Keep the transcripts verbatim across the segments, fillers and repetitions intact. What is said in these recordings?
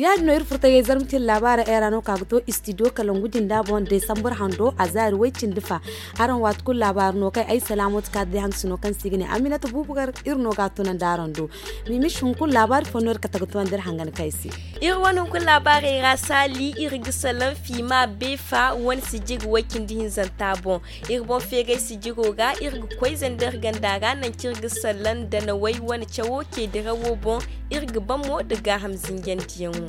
Ya- din no iri furtagey zarma cine laabaara era no ka ga to istidiyo kalangu jinda boŋ desambar hando a zaari way- cindi fa. Araŋ waati kulu laabaara no kaŋ ay salaamooti kaati day haŋ sino kaŋ se i ga ne aminata buubu gar. Iri no ga a tunandi araŋ do. Mimis hunkuna laabaari fo no iri kate ga tunandi iri hangan kaŋ ay se. Iri wane hunkuna laabaarey ra saali iri ga salaŋ fiima beefa wane sijiri way- cindi hinzanta boŋ. Iri boŋ feeray sijiro ga iri ga koy zander ganda ra nangu kaŋ iri ga salaŋ danawey wane cawo ceedirawo boŋ. Iri ga ban mo nda gaaham zinjandiyaŋo.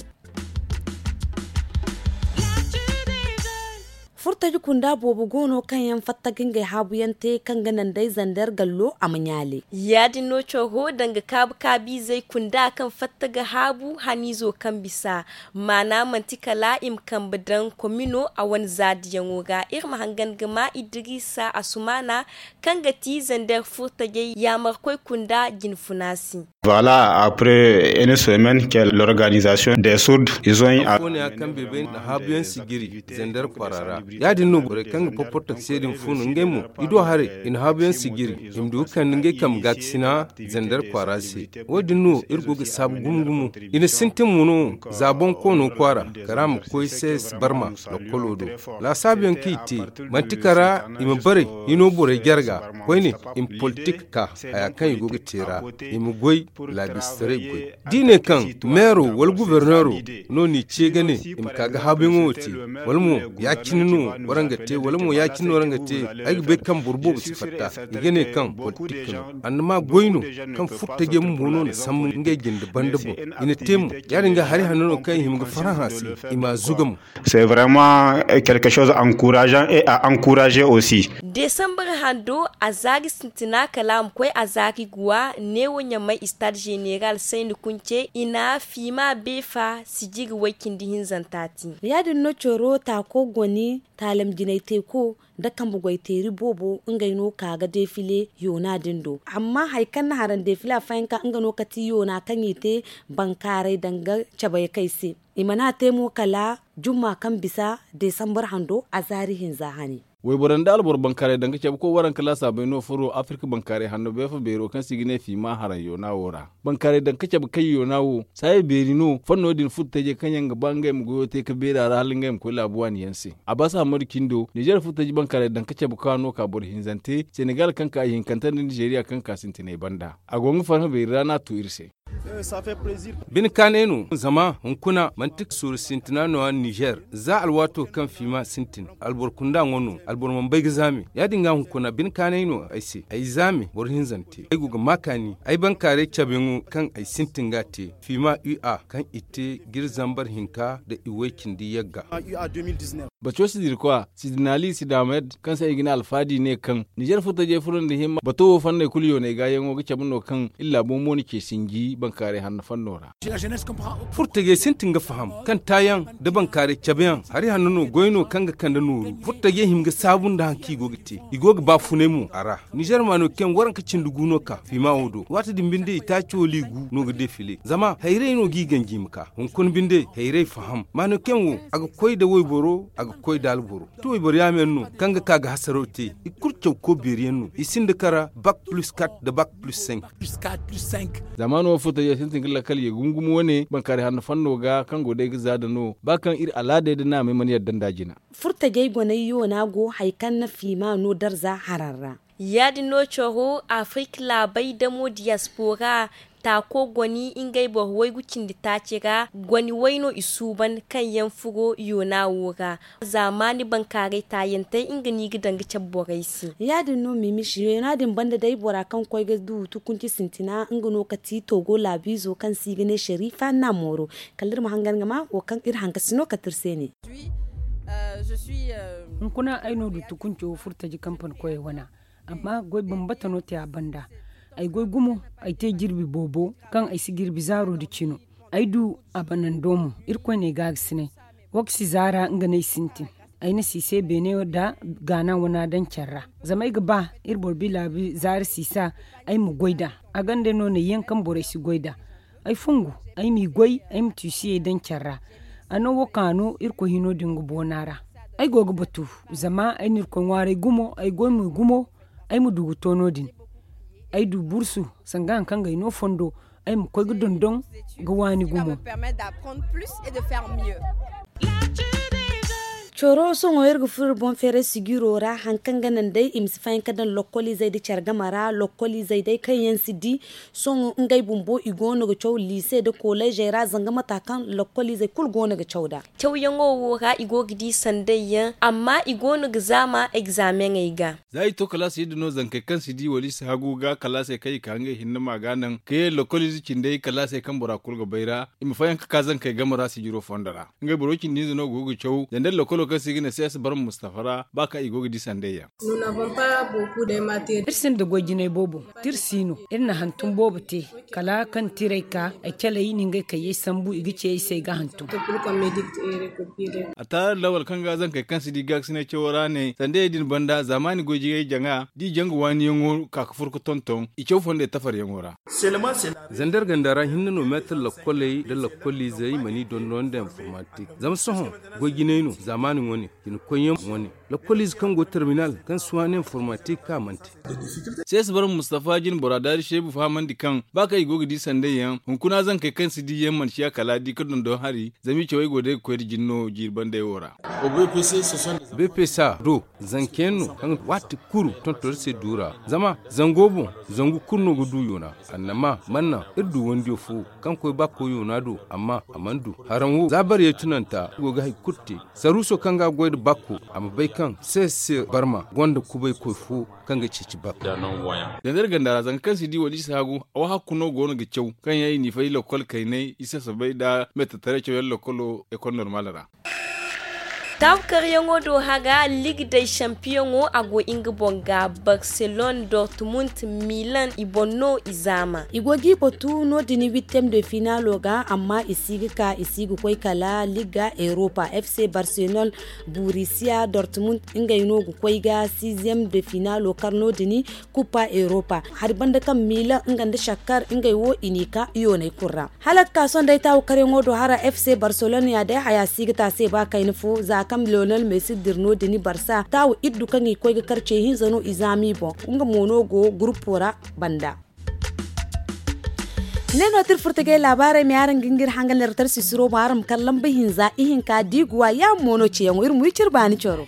Furtaji kunda boobo go no kaŋ yaŋ fatta ga ngey haabuyaŋ te kaŋ ga naŋ day zander gallo a ma ɲaale. Ya- din no coro danga kaabu kaabiizey kunda kaŋ fatta ga haabu haniizo kaŋ bisa. Maana manti kala i ma kambe daŋ komino a wane zaadiyaŋo ga iri ma hangan ga ma idiriisa asumaana kaŋ ga ti zander furtajey yaamarkoy kunda jinfuna se. Voilà, après une semaine que l'organisation des sourds ils ont eu a foone ya kaŋ beebey na haabuyaŋ sijiri zander kwaara ra. Ya- din no borey kaŋ ga porportak se din fun ngey mo i do haray i na haabuyaŋ sijiri i ma du ga kande ngey kambe gaakasina zander kwaara se. Wo- din no iri go ga saabu gumo gumo. I na sintin mo no za boŋ koono kwaara kala a ma koy sees barma lokkolo do. Laasaabuyaŋ kaŋ i te manti kala i ma bare hino borey jarga koyne i ma politik ka haya kaŋ i go ga te ra i ma goy laabistaray goy. Da i ne kaŋ meero wala guberneero no n'i ce ga ne i ma ka ga haabuyaŋo wo te wala mo ya- cine no waraŋ ga te wala mo ya- cine no waraŋ ga te. Ay ga bay kaŋ boro boobo si fatta i ga ne kaŋ politik no annama goy no kaŋ furtajey bumbo no na sambu ngey jinde banda boŋ. I na te mo ya- din ga hari hanno no kaŋ i hima ga farhã se i m'a zuga mo. C'est vraiment quelque chose encourageant et à encourager aussi. Desambar hando a zaari sintina kala a ma koy a zaari guwa neewo ɲamay stade général sayni kunce i na fiima beefa sijiri way- cindi hinzanta te. Ya- din no coro taako goni taalam jinay teeko nda kambe goy teeri boobo ngey no ka ga defile yoona din do amma hari kaŋ na haraŋ defile affayanka nga no ka ti yoona kaŋ i te bankaaray danga cabay kay se. I mana te mo kala jumma kaŋ bisa desambar hando a zaari hinza hane. Wayboro nda alboro bankaaray daŋ ga cabe koy waranka laasaabey no furo afirka bankaaray hanno beefa beero kaŋ se i ga ne fiima haraŋ yoona wo ra. Bankaaray daŋ ga cabe kay yoona wo saaya beeri no fanno din furtajey kaŋ yaŋ ga ba ngey ma goyo te ga beeri a ra hala ngey ma koy laabu waani yaŋ se. Abbas hammadu cindo nizeer furtaji bankaaray daŋ ga cabe ka no ka boro hinzante senegal kaŋ ka ihinkante nda nizeeriya kaŋ ka sintinay banda a go nga farhã beeri ra no a tu iri se. Bine kaanay no zama hunkuna manti sooru sintina no a nizer za alwaato kaŋ fiima sintin alboro kunda ŋwa no alboro mana bay ga zaame ya- din ga hunkuna bine kaanay no ay se ay zaame boro hinzante ay go ga ma kaani ay bankaaray cabeyaŋo kaŋ ay sintin ga a te fiima ua kaŋ i te ga iri zambar hinka nda i way- cindi yagga. Baco sidirkwa sidinali sidamed kaŋ se ay ga ne alfaadi ne kaŋ nizer furtajey furo nda himma bato wo fanney kulu yoonay gaayaŋo ga cabe no kaŋ iri laabo mo na ce sinji bankaaray hanno fanno ra. Furtajey sintin ga faham kaŋ taayaŋ nda bankaaray cabeyaŋ hari hanno no goy no kaŋ ga kande nooru furtajey hima ga saabu nda hari kaŋ i go ga te i go ga baafunay mo a ra. Nizer maano kaŋ waranka cindi gu no ka fiima wo do waati din binde i taaci wala i gu no ga defile zama hayray no ga i ganji i ma ka hunkuna binde hayray faham maano kaŋ wo a ga koy nda wayboro a ga koy nda alboro. Ti wayboro yaameyaŋ no kaŋ ga ka ga hasaraw te i kulu caw ko beeri yaŋ no i sinda kara bak plus kat nda bak plus cinq. Zamaano wo furtajey sintin ga lakkal ye gumo gumo wane bankaaray hanno fanno ga kaŋ go day ga za nda no ba kaŋ iri alaadey nda naamey mana yadda nd'a jina. Furtajey gonay yoona go hari kaŋ na fiima no darza haraŋ ra. Ya- din no coro afirka laabey damo diyaspora taako goni ngey boro waygu cindi taaci ra goni way no i suuban kaŋ yaŋ furo yoona wo ra. Zaamaani bankaaray taayantey nga no i ga daŋ ga cabe borey se. Ya- din no mimis yoona din banda day bora kaŋ koy ga du tukunci sintina nga no ka ti togo laabiizo kaŋ se i ga ne sharifa namooro. Kala iri ma hangan ga ma wo kaŋ iri hankasi no kate iri se ne. Hunkuna ay no du tukunco furtaji kampani koyey wana. Amma goy bambata no te a banda. Ay goy gumo ay te jirbi boobo kaŋ ay si jirbi zaaro nda cino. Ay du a banando mo irkoy n'ay gaagasinay. Wo ga si zaara nga no ay sintin. Ay na siisay beene nda gaana wana daŋ care ra. Zama ay ga ba iri boro bilaabi zaara siisa ay ma goy nd'a. A ganda no n'ay yaŋ kaŋ borey si goy nd'a. Ay fungu ay m'i goy ay ma tiisiyey daŋ care ra. A no wo kaŋ a no irkoy hino din ga boona ra. Ay go ga batu zama ay na irkoy ŋwaaray gumo ay goy mo gumo. Ay ma du ga to no- din. ay du bursu sanga hari kaŋ ga ay no fondo, ay ma koy ga dondon ga waani gumo. Coro sohõ iri ga furo iri boŋ feeray sijiro ra hari kaŋ ga naŋ day i ma si fayanka daŋ lokkoliizey nda care game ra lokkoliizey day kaŋ yaŋ si di. Sohõ ngey bumbo i go no ga caw liise nda koleezey ra zanga mata kaŋ lokkoliizey kulu go no ga caw nd'a. Cawyaŋo wo ra i go ga di sanday yaŋ amma i go no ga zaama egzaameŋey ga. Za i to kalaasey din no zankey kaŋ si di wala i si hagu ga kalaasey kaŋ i ka ngey hinne ma ga naŋ ka ye lokkoliize cindey kalaasey kaŋ bora kulu ga bay ra, i ma fayanka ka zankey game ra sijiro fondo ra. Ngey boro cindi hinza no go ga caw zandar lokkolo kaŋ se i ga ne sees barma mustafa ra ba kaŋ i go ga di sanday yaŋ. Iri sinda goy jinay boobo, da iri si no iri na hantum boobo te. Kala kaŋ tiray ka ay calay i na ngey kayyey sambu i ga ce ay se ay ga hantum. A taara lawal kaŋ ga zankey kaŋ si di gaakasinay cawo ra ne sandayey din banda zaamaani goy jinay jaŋa da i jaŋ ga waaniyaŋo ka ga fur ga tonton i caw fondey tafaryaŋo ra. Zandar ganda ra hinne no meetar lakkoley nda lakkoliizey mana i dondon nda informatik zama sohõ goy jinay no zaamaani wane cinakoyyaŋ wane. Lakkoliize kaŋ go terminal kaŋ si waani informatik ka mana te. Sees barma mustafa jine bora daari seebu fahamandi kaŋ ba kaŋ i go ga di sanday yaŋ hunkuna zankey kaŋ si di yaŋ mana ciya kala di ga dondon hari zama i cawey go day ga koy nda jine no jiiri bandey wo ra. Bpc do zanka yaŋ no kaŋ ga waati kulu tonton iri se du ra zama zango boŋ zangu kulu no ga du yoona. Annama mana naŋ iri du wandiyo fo kaŋ koy bakko yoona do amma a mana du haraŋ wo za bariyey tunanta iri go ga hari kulu te. Saruuso kaŋ ga a goy nda bakko a ma bay kaŋ sees se barma gonda kubaykoy fo kaŋ ga ceeci bakko. Zandar ganda ra zanka kaŋ si di wala i si hagu awa hakku no go no ga caw kaŋ yaŋ i n'i fay lakkol kaynay i sasabay nda mettataray cawyaŋ lakkolo ekol normal ra. Taahukaryaŋo do hara liig day sampiyaŋo a go nga boŋ ga barcelone dortmund milan i boŋ no i zaama. I go ga i batu no- din wittem de finaalo ga amma i si ga ka i si ga koy kala liig ga europa fc barcelone burisiya dortmund ngey no ga koy ga sixième de finaalo kar no- din. Kupa europa hari banda kaŋ milan nga nda shakkar ngey wo i n'i ka yooney kulu ra. Hala ga ka sohõ day taawu karyaŋo do hara fc barcelona ya day haya si ga te a se ba kayna fo za kaŋ lionel messi dira no- din barsa taawu iddu kaŋ i koy ga kar ce hinza no i zaama i boŋ. Nga mo no go gurupo ra banda. Ne no te iri furo tagay laabaarey me araŋ ga nga iri hangan iri tarsi suro boŋ araŋ ma kar lamba hinza ihinka diiguwa yaamo no ceeyaŋo iri ma wi cire baani coro.